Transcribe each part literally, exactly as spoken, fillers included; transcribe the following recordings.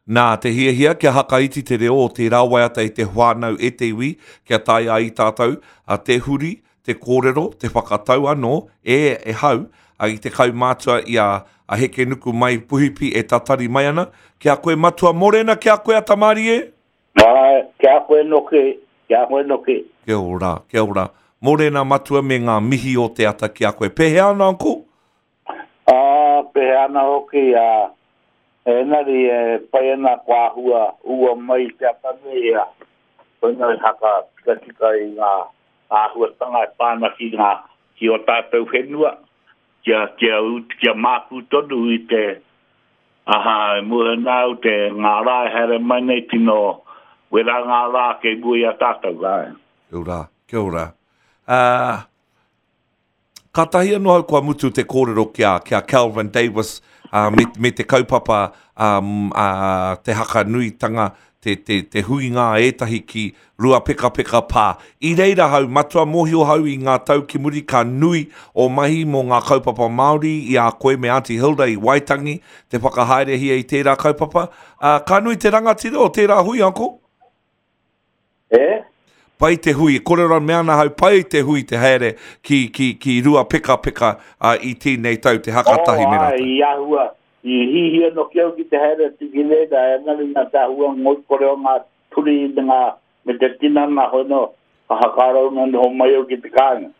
Nā, te hiahia kia hakaiti te reo o tērā waiata i te whānau e te iwi, kia tae ai tātou a te huri, te kōrero, te whakatau anō, e, e hau, a, i te kaumātua i a, a Hekenuku mai Puhipi e tatari mai ana. Kia koe Matua Morena, kia koe a Tamarie? Ai, kia koe noke, kia koe noke. Kia ora, kia ora. Morena Matua me ngā mihi o te ata ki a koe. Pehea ana, uncle? Ah, pehea ana hoki, a... Engari e pai ana ko āhua ua mai te ata nei, a, koina i haka tikatika i ngā āhuatanga e pā ana ki ngā, ki o tātou whenua, kia, kia, kia mākū tonu i te, aha, e mua nā au te ngā rā e haere mai nei tino wera ngā rā kei mua i a tātou, āe. Kia ora, kia ora. Uh, Kātahi anō au kua mutu te kōrero ki a, ki a Kelvin Davis uh, me, me te kaupapa um, uh, te hakanuitanga, te, te, te huinga a ētahi ki Ruapekapeka Pā. I reira hau, matua mōhio hau i ngā tau ki muri ka nui o mahi mō ngā kaupapa Māori i a koe me Auntie Hilda i Waitangi te whakahaerehia i tērā kaupapa. Uh, ka nui te rangatira o tērā hui, uncle? E? Pai te hui, kōrero me ana hau, pai te hui te haere ki, ki, ki Ruapekapeka uh, i tēnei tau, te hakatahi oh, me rātou. Ai, i ahua, i hihia no ki au ki te haere atu ki reira, engari nā te ahua ngoikore o ngā turi me ngā, me te tinana hoi no, ka hakarau na noho mai au ki te kāinga.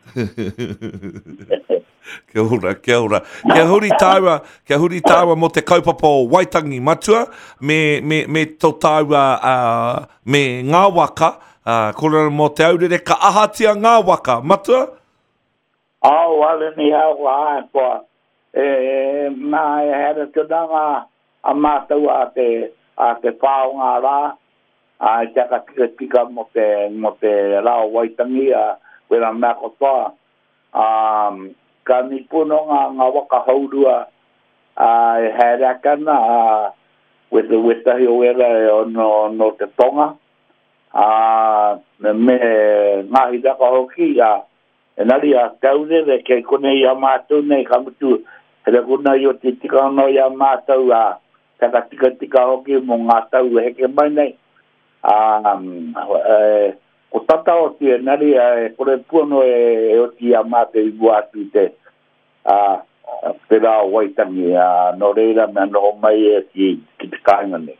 Kia ora, kia ora. Kia huri tāua, kia huri tāua mō te kaupapa o Waitangi Matua, me, me, me tō tāua, uh, me ngā waka, uh, kōrero mō te aurere, ka ahatia ngā waka, Matua? Au, ale ni hau, ai, koa. E, e, nā, e haere tuna ngā, a mātou a te, a te whao ngā rā, a te aka tika tika mō te, mō te rā o Waitangi, a wera mea katoa. Um, ka ni puno ngā, ngā waka haurua, a, e haere ake ana, a, wete wetahi o wera e ono, no te tonga, a, me, me ngā hiraka hoki, a, engari a te aurere kei konei i a mātou nei, ka mutu, here kona i o te tika anō i a mātou, a, te aka tika tika hoki mō ngā tau e heke mai nei. A, e, ko tata oti, engari, a, e kore puano e, e oti i a mātou i mua atu i te, a, te rā o Waitangi, a, nō reira mea noho mai e ki, ki te kāinga nei.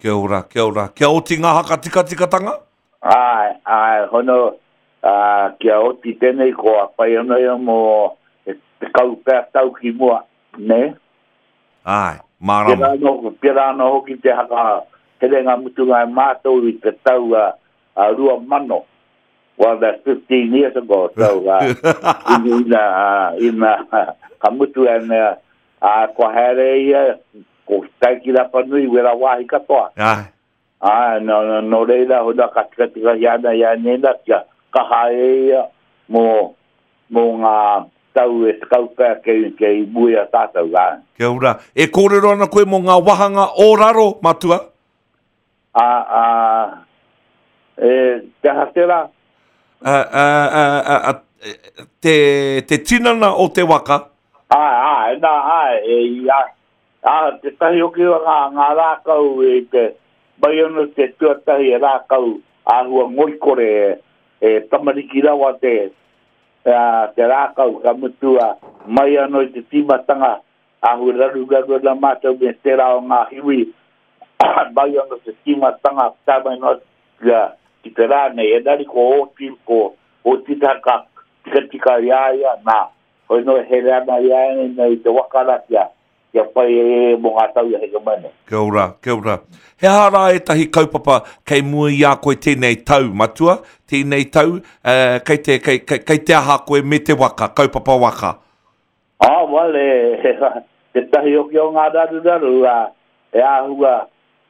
Kia ora, kia ora. Kia oti ngā haka tikatikatanga? Ai, ai, hono, a, kia oti tēnei ko a pai anō ia mō te, te kaupea tau ki mua, ne? Ai, mārama. Pērā anō, pērā anō hoki te haka herenga mutunga e mātou i te tau a, a rua mano. Well, that's fifteen years ago, so, uh, ina, ina, ka mutu e mea, a, kua haere ia, ko tae ki Rapanui, wera wāhi katoa. Ai. Ai, no, no, no reira, hona ka tikatika hi ana i a nena, kia kaha e ia mō, mō ngā tau e te kaupea kei, kei mui a tātou, ai. Kia ora. E kōrero ana koe mō ngā wahanga o raro, Matua? A, a, e, te aha tērā? A, a, a, a, a, te, te tinana o te waka? Ai, ai, nā, ai, e, i, ai. A, te tahi hoki o ngā, ngā rākau e te, mai anō te tuatahi e rākau āhua ngoikore e, e tamariki rawa te, a, te rākau ka mutu a, mai anō i te tīmatanga āhua raru raru ana mātou me tērā o ngā hiwi, mai anō te tīmatanga tā mai noa ki, ki te rā nei, engari ko oti, ko oti tā ka tika tika i a ia, nā, hoi no e here ana i a ia nei te waka rā kia, kia pai e e mō ngā tau i a heke mai nei. Kia ora, kia ora. He aha rā ētahi kaupapa kei mua i a koe tēnei tau, Matua? Tēnei tau, uh, kei te, kei, kei, kei te aha koe me te waka, kaupapa waka? Ah, well, e, te tahi hoki o ngā raruraru, a, e āhua,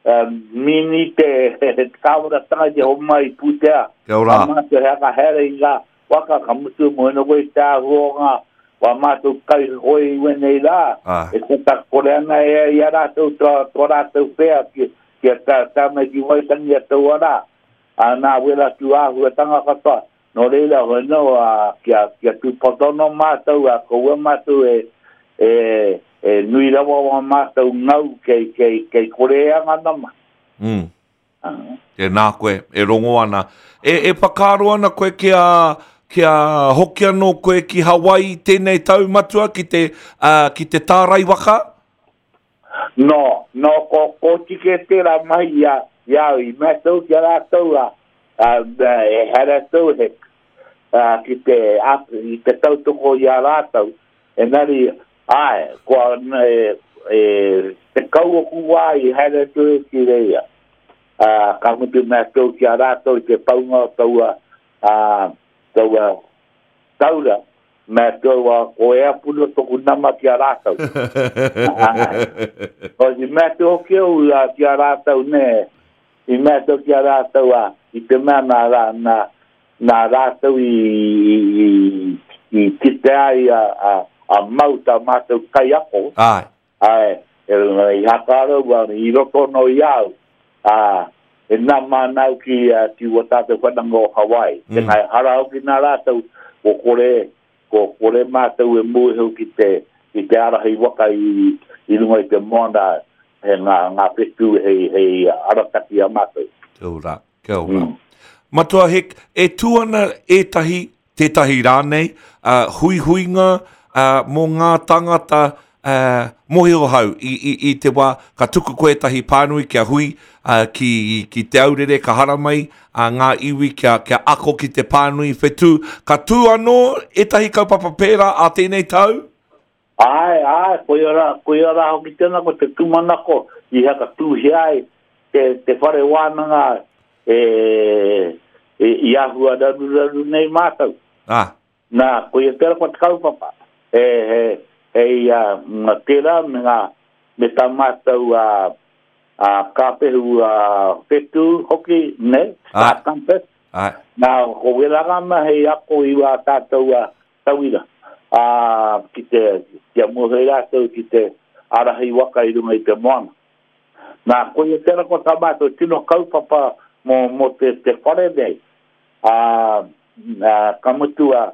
um, mini te, te kāwanatanga i te homai i pūtea. Kia ora. A mātou he aka here i ngā waka, ka mutu mo heno koe te āhua o ngā wā mātou kai hoi i wenei rā. Ah. E tata kore ana e i a rātou, tō, tō rātou whea ki, ki a tā, tā mai ki Waitangi a taua rā. A nā wera tū āhuatanga katoa. Nō reira hoi no, a, kia, kia tūpotono mātou, a koua mātou e, e, e nui rawa o mātou ngau kei, kei, kei kore e anga nama. Mm. Tēnā koe, e rongo ana. E, e whakaaro ana koe kia, kia hoki anō koe ki Hawaii tēnei tau matua ki te, uh, ki te tārai waka? No, no, ko, ko tike tērā mahi ia, ia i mātou ki a rātou a, a, e here tau he, a, ki te, a, i te tautoko i a rātou. Engari, ai, kua e, e, te kau o kuwā i here tau e ki reia. Uh, ka mutu mātou ki a rātou i te paunga o taua, uh, taua taura, mātou a ko e apuna toku nama ki a rātou. O i mātou hoki au uh, ki a rātou ne, i mātou ki a rātou a, i te mea nā, rā, nā, nā rātou i, i, i, i kite ai a, a, a mau tā mātou kaiako. Ai. Ai, e, i hakarau, i roto no i au. A, e nā mānau ki, uh, ki ua tātou whananga o Hawaii. Mm. Tēnā e hara hoki nā rātou, ko kore, ko kore mātou e mūheu ki te, ki te arahi waka i, i runga i te moana, he ngā, ngā whetū hei, hei arataki a mātou. Kia ora, kia ora. Mm. Matua Hek, e tū ana ētahi, tētahi rānei, uh, huihuinga uh, mō ngā tangata uh, mohio hau i, i, i te wā, ka tuku koe ētahi pānui kia hui uh, ki, ki te aurere, ka haramai uh, ngā iwi kia, kia ako ki te pānui whetū. Ka tū anō ētahi kaupapa pērā a tēnei tau? Ai, ai, koia rā, koia rā hoki tēnā ko te tūmanako i haka tūhia ai te, te whare wānanga e, e, i ahua raruraru nei mātou. Ah. Nā, koia tērā ko te kaupapa. E, e, hei uh, ngā tērā me ngā me tā mātou a, a kāpehu a whetū hoki, ne, Star Compass. Ai. Nā, ko wera ngā mahi ako i wā tātou a tauira. A, ki te, kia mōhio rātou ki te arahi waka i runga i te moana. Nā, koia tērā ko tā mātou tino kaupapa mō, mō te, te whare nei. A, a, ka mutu a,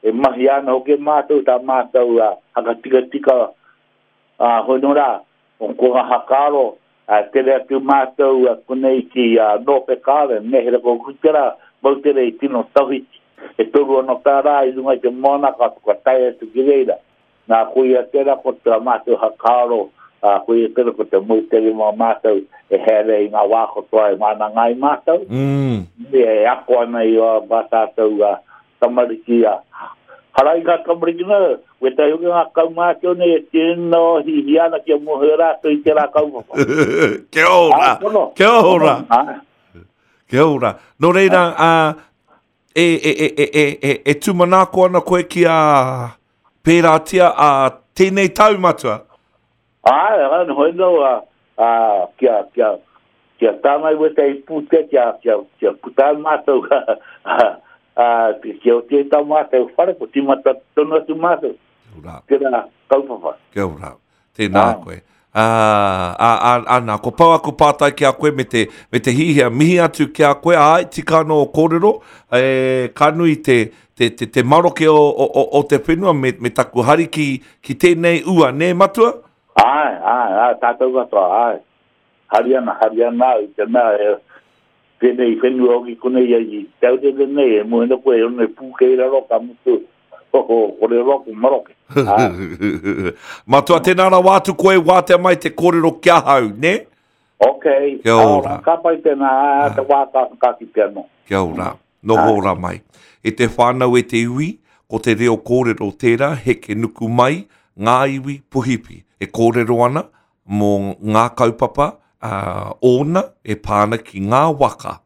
e mahi ana hoki mātou tā mātou a, hakatikatika a, hono rā, o ko ngā hakaro, a, tere atu mātou a, konei ki a, Norfolk Island, nehere ko kutera, mautere i tino tawhiti. E toru ano tā rā i runga i te moana ka, ka tae atu ki reira. Nā, koia tērā ko tā mātou hakaro, a, koia tērā ko te mautere mā mātou e here i ngā wā katoa e mana ngai mātou. Mm. E ako ana i o mā tātou a, tamariki a, harai ngā tamariki nā, wetahi hoki ngā kaumātua nei e tino hihi ana kia mōhio rātou i tērā kaupapa. Kia ora, Ah, pono. kia ora. Ah, Kia ora. Nō reira, uh, e, e, e, e, e, e, e tūmanako ana koe ki a pērātia a tēnei tau matua? Ai, ai, hoi no, a, a, kia, kia, kia tāngai wetahi pūtea, kia, kia, kia puta mātou, a, a, kia o te tā mātou whare, ko tīmata tonu atu mātou. Kia ora. Tērā kaupapa. Kia ora. Tēnā Ah. koe. Ah, ah, ah, ana, ko pau aku pātai ki a koe me te, me te hihia, mihi atu ki a koe, ai, tika anō o kōrero, e, ka nui te, te, te, te maroke o, o, o, o te whenua me, me taku hari ki, ki tēnei ua, nē matua? Ai, ai, ai, tātou katoa, ai. Hari ana, hari ana au, te mea, e, tēnei whenua hoki konei ai i te aurere nei, e moena koe, e one pūkei raro ka mutu, ho, ho, kore roa ko maroke. Ai. Matua, tēnā rawa atu koe wātea mai te kōrero ki ahau, nē? Okay. Kia ora. Ka pai tēnā, ai, te wā ka, ka ki te anō. Kia ora, noho ora mai. E te whānau e te iwi, ko te reo kōrero tērā, heke nuku mai, ngā iwi puhipi. E kōrero ana mō ngā kaupapa uh, ōna e pāna ki ngā waka.